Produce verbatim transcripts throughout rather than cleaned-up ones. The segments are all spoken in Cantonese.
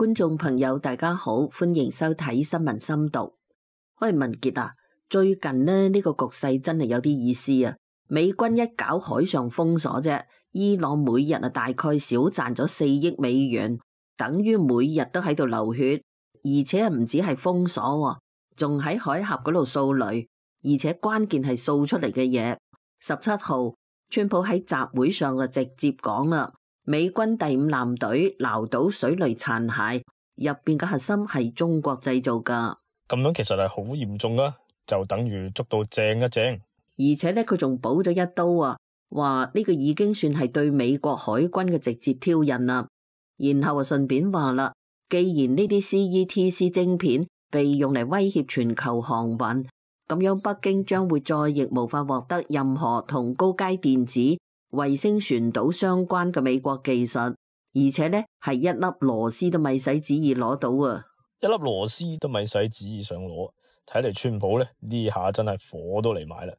觀眾朋友大家好，歡迎收睇新聞深讀。喂，文傑啊，最近呢呢個局勢真係有啲意思啊！美軍一搞海上封鎖啫，伊朗每日啊大概少賺咗四億美元，等於每日都喺度流血，而且唔止係封鎖，仲喺海峽嗰度掃雷，而且關鍵係掃出嚟嘅嘢。十七號，川普喺集會上就直接講啦。美軍第五艦隊撈到水雷殘骸，入邊嘅核心係中國製造噶。咁樣其實係好嚴重啊，就等於捉到正一正。而且咧，佢仲補咗一刀啊，話呢個已經算係對美國海軍嘅直接挑釁啦。然後啊，順便話啦，既然呢啲 C E T C 晶片被用嚟威脅全球航運，咁樣北京將會再亦無法獲得任何同高階電子衛星傳導相關嘅美國技術，而且呢係一粒螺絲都咪使旨意攞到啊！一粒螺絲都咪使旨意想攞，睇嚟川普呢呢下真係火都嚟埋啦！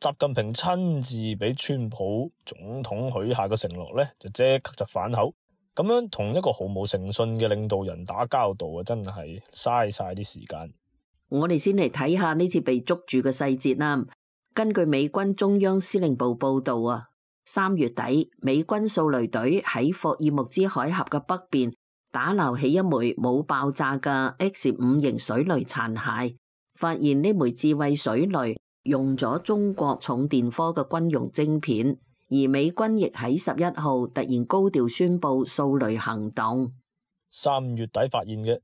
習近平親自俾川普總統許下嘅承諾呢，就即刻就反口，咁樣同一個毫無誠信嘅領導人打交道啊，真係嘥晒啲時間。我哋先嚟睇下呢次被捉住嘅細節啦。根據美軍中央司令部報道啊。三月底，美軍掃雷隊喺霍爾木茲海峽嘅北邊打撈起一枚冇爆炸嘅 X 五型水雷殘骸，發現呢枚智慧水雷用咗中國重電科嘅軍用晶片，而美軍亦喺十一號突然高調宣布掃雷行動。三月底發現嘅，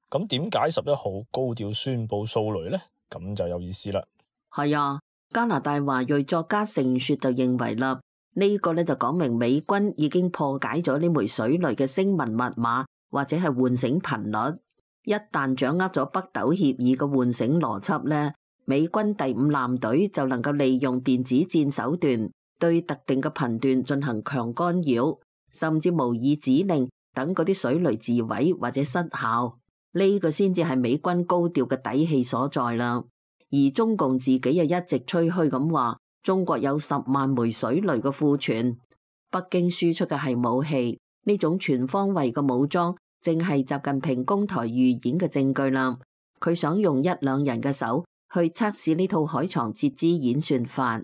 咁點解十一號高調宣布掃雷呢？咁就有意思啦。係啊，加拿大華裔作家盛雪就認為啦。呢個咧就講明美軍已經破解咗呢枚水雷嘅聲紋密碼或者係喚醒頻率。一旦掌握咗北斗協議嘅喚醒邏輯咧，美軍第五艦隊就能夠利用電子戰手段對特定嘅頻段進行強干擾，甚至模擬指令等嗰啲水雷自毀或者失效。呢個先至係美軍高調嘅底氣所在啦。而中共自己又一直吹噓咁話，中國有十萬枚水雷嘅庫存，北京輸出嘅係武器，呢種全方位嘅武裝，正係習近平攻台預演嘅證據啦。佢想用一兩人嘅手去測試呢套海床截肢演算法，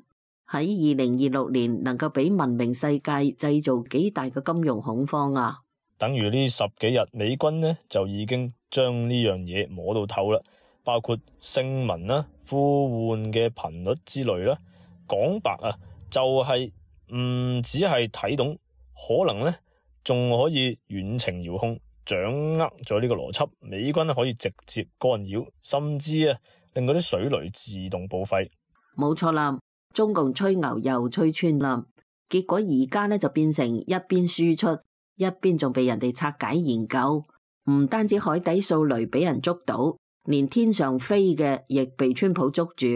喺二零二六年能夠俾文明世界製造幾大嘅金融恐慌啊！等於呢十幾日，美軍呢就已經將呢樣嘢摸到透啦，包括聲紋啦、呼喚嘅頻率之類啦。講白啊，就係唔只係睇懂，可能呢仲可以遠程遙控，掌握咗呢個邏輯，美軍可以直接干擾，甚至啊令嗰啲水雷自動報廢。冇錯啦，中共吹牛又吹穿啦，結果而家呢就變成一邊輸出，一邊仲被人哋拆解研究。唔單止海底掃雷俾人捉到，連天上飛嘅亦被川普捉住。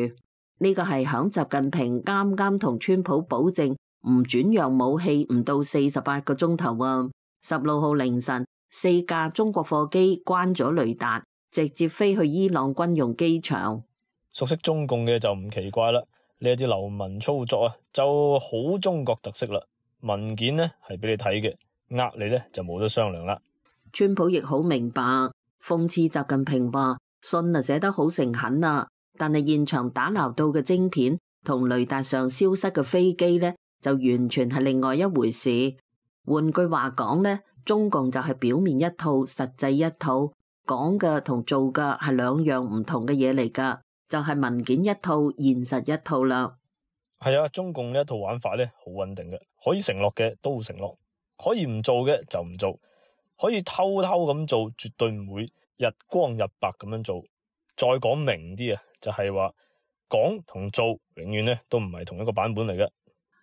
呢個係響習近平啱啱同川普保證唔轉讓武器唔到四十八個鐘頭啊！十六號凌晨，四架中國貨機關咗雷達，直接飛去伊朗軍用機場。熟悉中共嘅就唔奇怪啦，呢啲流氓操作啊，就好中國特色啦。文件呢係俾你睇嘅，呃你呢就冇得商量啦。川普亦好明白，諷刺習近平話信啊寫得好誠懇啊。但係現場打撈到嘅晶片同雷達上消失嘅飛機呢，就完全係另外一回事。換句話講呢，中共就係表面一套，實際一套，講嘅同做嘅係兩樣唔同嘅嘢嚟噶，就係文件一套，現實一套啦。係啊，中共呢一套玩法呢，好穩定嘅，可以承諾嘅都承諾，可以唔做嘅就唔做，可以偷偷咁做，絕對唔會日光日白咁樣做。再講明啲啊，就係話講同做永遠咧都唔係同一個版本嚟嘅。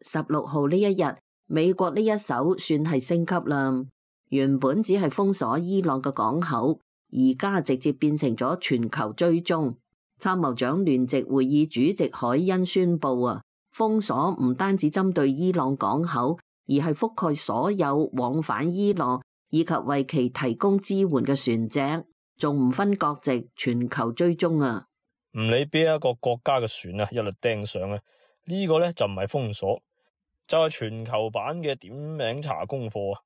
十六號呢一日，美國呢一手算係升級啦。原本只係封鎖伊朗嘅港口，而家直接變成咗全球追蹤。參謀長聯席會議主席海恩宣布啊，封鎖唔單止針對伊朗港口，而係覆蓋所有往返伊朗以及為其提供支援嘅船隻。仲唔分國籍，全球追蹤啊！唔理邊一個國家嘅船啊，一律盯上啊！呢個呢就唔係封鎖，就係全球版嘅點名查功課啊！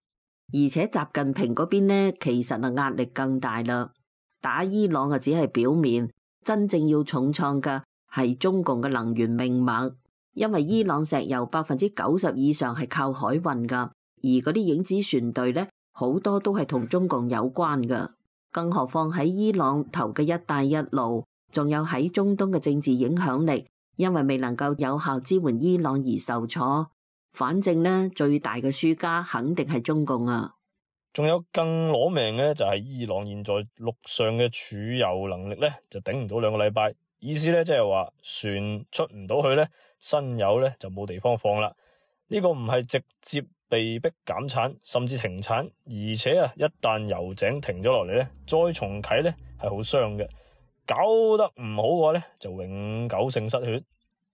而且習近平嗰邊呢，其實啊壓力更大啦。打伊朗啊只係表面，真正要重創嘅係中共嘅能源命脈，因為伊朗石油百分之九十以上係靠海運噶，而嗰啲影子船隊呢，好多都係同中共有關噶。更何況喺伊朗投嘅一帶一路，仲有喺中東嘅政治影響力，因為未能夠有效支援伊朗而受挫。反正呢，最大嘅輸家肯定係中共啊！仲有更攞命嘅咧，就係伊朗現在陸上嘅儲油能力咧就頂唔到兩個禮拜，意思咧即係話船出唔到去咧，新油咧就冇地方放啦。呢個唔係直接被逼減產，甚至停產，而且啊，一旦油井停咗落嚟咧，再重啟咧係好傷嘅，搞得唔好嘅話咧就永久性失血。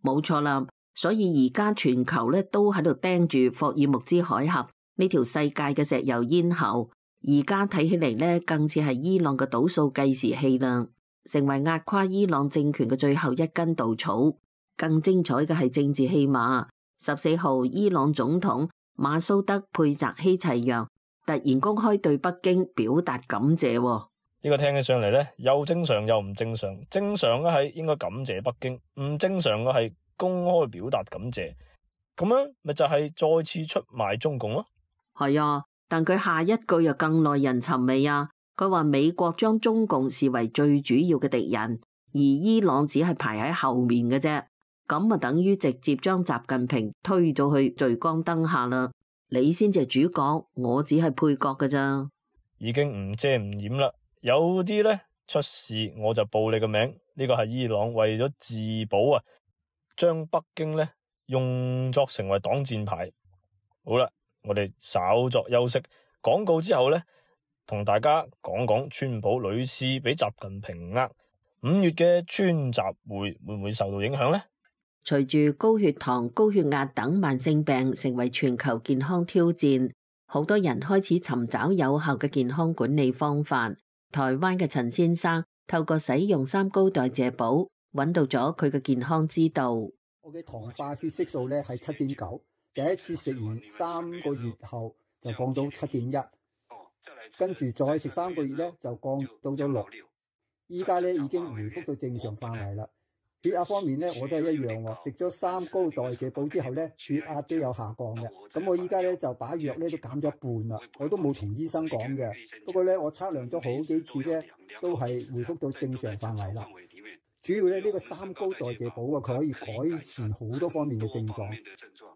冇錯啦。所以而家全球咧都喺度盯住霍爾木茲海峽呢條世界嘅石油咽喉，而家睇起嚟咧更似係伊朗嘅倒數計時器啦，成為壓垮伊朗政權嘅最後一根稻草。更精彩嘅係政治戲碼。十四號，伊朗總統馬蘇德佩澤希齊揚突然公開對北京表達感謝。呢個聽起上嚟咧又正常又唔正常。正常嘅係應該感謝北京，唔正常嘅係公開表達感謝，咁樣咪就係再次出賣中共咯。係啊，但佢下一句又更耐人尋味啊！佢話美國將中共視為最主要嘅敵人，而伊朗只係排喺後面嘅啫。咁啊，等於直接將習近平推咗去聚光燈下啦。你先至係主角，我只係配角㗎咋。已經唔遮唔掩啦。有啲咧出事我就報你個名，呢個係伊朗為咗自保啊，將北京咧用作成為擋箭牌。好啦，我哋稍作休息，廣告之後咧，同大家講講川普屢次俾習近平呃，五月嘅川習會會唔會受到影響呢？隨住高血糖、高血壓等慢性病成為全球健康挑戰，好多人開始尋找有效嘅健康管理方法。台灣嘅陳先生透過使用三高代謝寶，揾到咗佢嘅健康之道。我嘅糖化血色素咧係七點九，第一次食完三個月後就降到七點一，跟住再食三個月咧就降到咗六，依家咧已經回復到正常範圍啦。血壓方面咧，我都係一樣喎。食咗三高代謝寶之後咧，血壓都有下降嘅。咁我依家咧就把藥咧都減咗一半啦。我都冇同醫生講嘅，不過咧我測量咗好幾次咧，都係回復到正常範圍啦。主要咧呢個三高代謝寶啊，佢可以改善好多方面嘅症狀，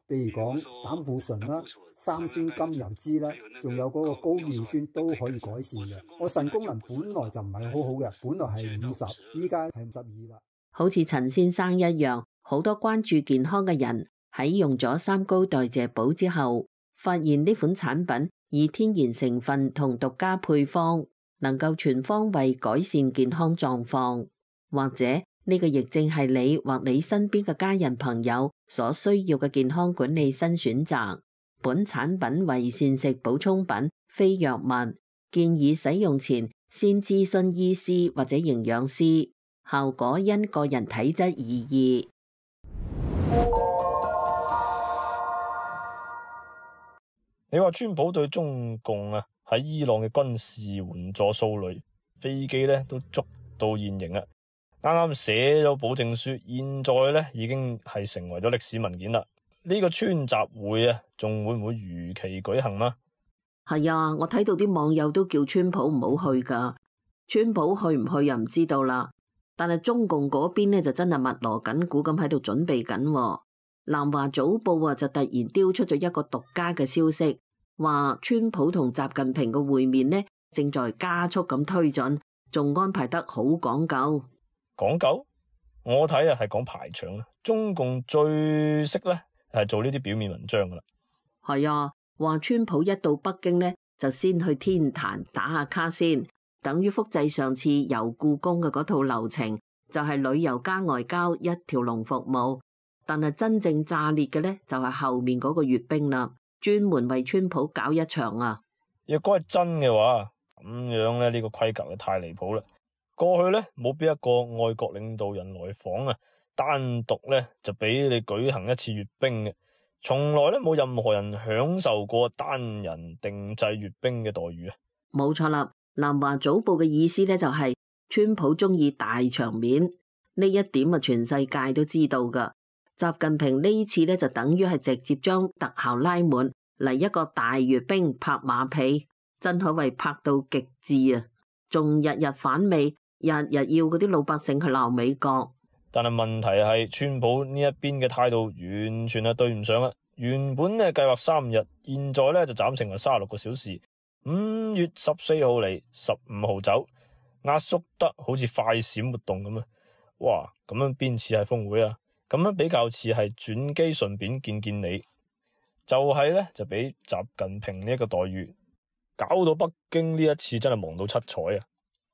譬如講膽固醇啦、三酸甘油酯啦，仲有嗰個高尿酸都可以改善嘅。我腎功能本來就唔係好好嘅，本來係五十，依家係五十二啦。好似陳先生一樣，好多關注健康嘅人喺用咗三高代謝寶之後，發現呢款產品以天然成分同獨家配方，能夠全方位改善健康狀況。或者呢個亦正係你或你身邊嘅家人朋友所需要嘅健康管理新選擇。本產品為膳食補充品，非藥物，建議使用前先諮詢醫師或者營養師。效果因個人體質而異。你話川普對中共啊喺伊朗嘅軍事援助數類飛機咧都捉到現形啦，啱啱寫咗保證書，現在咧已經係成為咗歷史文件啦。呢個川習會啊，仲會唔會如期舉行嗎？係啊，我睇到啲網友都叫川普唔好去噶，川普去唔去又唔知道啦。但係中共嗰邊咧就真係密鑼緊鼓咁喺度準備緊。南華早報啊就突然丟出咗一個獨家嘅消息，話川普同習近平嘅會面呢正在加速咁推進，仲安排得好講究。講究？我睇啊係講排場啦。中共最識咧係做呢啲表面文章噶啦。係啊，話川普一到北京呢就先去天壇打下卡先。等於複製上次遊故宮嘅嗰套流程，就係旅遊加外交一條龍服務。但係真正炸裂嘅呢，就係後面嗰個閱兵啦，專門為川普搞一場啊！若果係真嘅話，咁樣咧呢個規格就太離譜啦。過去呢，冇邊一個外國領導人來訪啊，單獨呢就俾你舉行一次閱兵嘅。從來咧冇任何人享受過單人定制閱兵嘅待遇啊！冇錯啦，南華早報嘅意思咧就係川普中意大場面，呢一點啊全世界都知道噶。習近平呢次咧就等於係直接將特效拉滿嚟一個大閱兵拍馬屁，真可謂拍到極致啊！仲日日反美，日日要嗰啲老百姓去鬧美國。但係問題係，川普呢一邊嘅態度完全係對唔上啊！原本咧計劃三日，現在咧就斬成為三十六個小時。五月十四號嚟，十五號走，壓縮得好似快閃活動咁啊！哇，咁樣邊似係峰會啊？咁樣比較似係轉機順便見見你，就係咧就俾習近平呢一個待遇，搞到北京呢一次真係忙到七彩啊！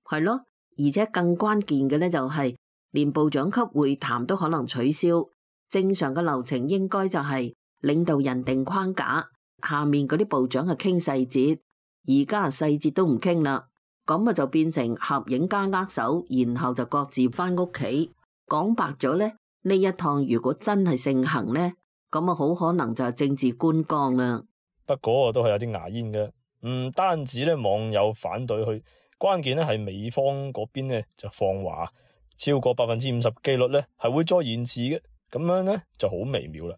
係咯，而且更關鍵嘅咧就係、是。連部長級會談都可能取消，正常嘅流程應該就係領導人定框架，下面嗰啲部長係傾細節，而家細節都唔傾啦，咁啊就變成合影加握手，然後就各自翻屋企。講白咗咧，呢一趟如果真係盛行咧，咁啊好可能就係政治觀光啦。不過都係有啲牙煙嘅，唔單止咧網友反對去，關鍵咧係美方嗰邊咧就放話。超過百分之五十機率咧係會再延遲嘅，咁樣咧就好微妙啦。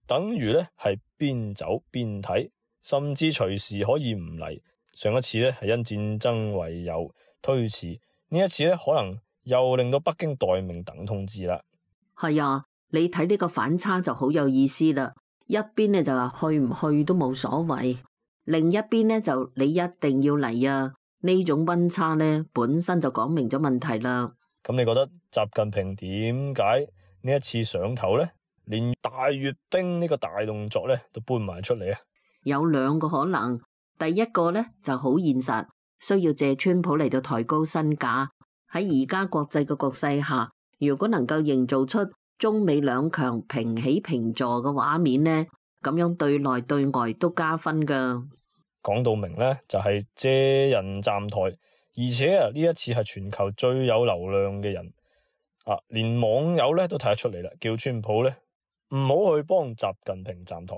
等於咧係邊走邊睇，甚至隨時可以唔嚟。上一次咧係因戰爭為由推遲，呢一次咧可能又令到北京待命等通知啦。係啊，你睇呢個反差就好有意思啦。一邊咧就話去唔去都冇所謂，另一邊咧就你一定要嚟啊。呢種溫差咧本身就講明咗問題啦。咁你覺得習近平點解呢一次上頭咧，連大閱兵呢個大動作咧都搬埋出嚟啊？有兩個可能，第一個咧就好現實，需要借川普嚟到抬高身價。喺而家國際嘅局勢下，如果能夠營造出中美兩強平起平坐嘅畫面咧，咁樣對內對外都加分噶。講到明咧，就係借人站台。而且啊，呢一次係全球最有流量嘅人啊，連網友咧都睇得出嚟啦，叫川普咧唔好去幫習近平站台。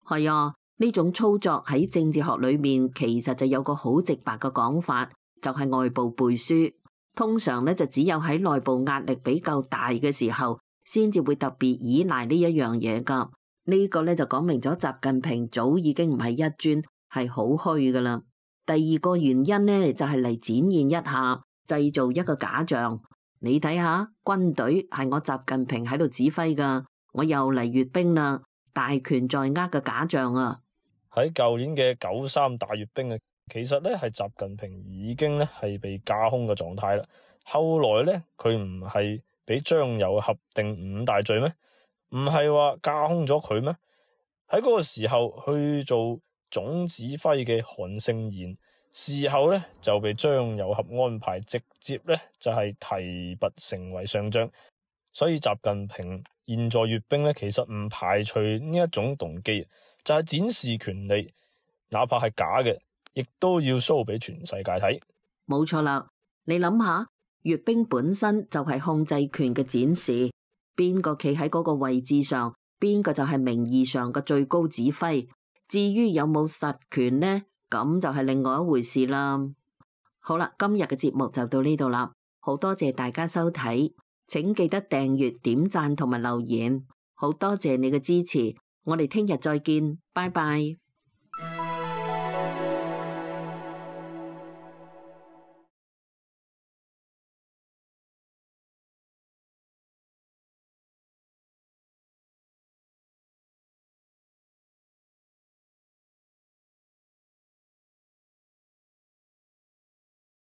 係啊，呢種操作喺政治學裏面其實就有個好直白嘅講法，就係外部背書。通常咧就只有喺內部壓力比較大嘅時候，先至會特別依賴呢一樣嘢噶。呢個咧就講明咗習近平早已經唔係一尊，係好虛噶啦。第二個原因呢，就係嚟展現一下，製造一個假象。你睇下，軍隊係我習近平喺度指揮噶，我又嚟閱兵啦，大權在握嘅假象啊！喺舊年嘅九三大閱兵啊，其實咧係習近平已經咧係被架空嘅狀態啦。後來咧佢唔係俾張又合定五大罪咩？唔係話架空咗佢咩？喺嗰個時候去做總指揮嘅韓勝賢，事後咧就被張又俠安排直接咧就係提拔成為上將，所以習近平現在閱兵咧，其實唔排除呢一種動機，就係展示權力，哪怕係假嘅，亦都要 show 俾全世界睇。冇錯啦，你諗下，閱兵本身就係控制權嘅展示，邊個企喺嗰個位置上，邊個就係名義上嘅最高指揮。至於有冇實權呢？咁就係另外一回事啦。好啦，今日嘅節目就到呢度啦，好多謝大家收睇，請記得訂閱、點讚同埋留言，好多謝你嘅支持，我哋聽日再見，拜拜。